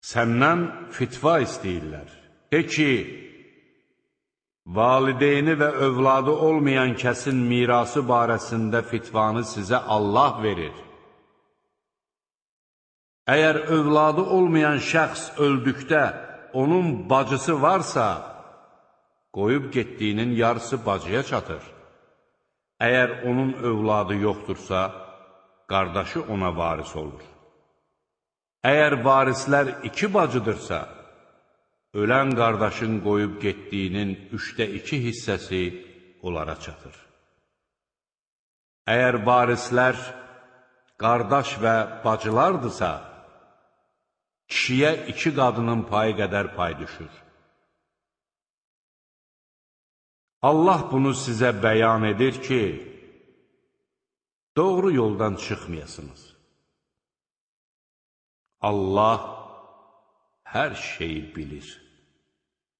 Səndən fitva istəyirlər. De ki, valideyni və övladı olmayan kəsin mirası barəsində fitvanı sizə Allah verir. Əgər övladı olmayan şəxs öldükdə onun bacısı varsa, qoyub getdiyinin yarısı bacıya çatır. Əgər onun övladı yoxdursa, qardaşı ona varis olur. Əgər varislər 2 bacıdırsa, ölən qardaşın qoyub getdiyinin 2/3 hissəsi onlara çatır. Əgər varislər qardaş və bacılardırsa, kişiyə 2 qadının payı qədər pay düşür. Allah bunu sizə bəyan edir ki, doğru yoldan çıxmayasınız. Allah hər şeyi bilir.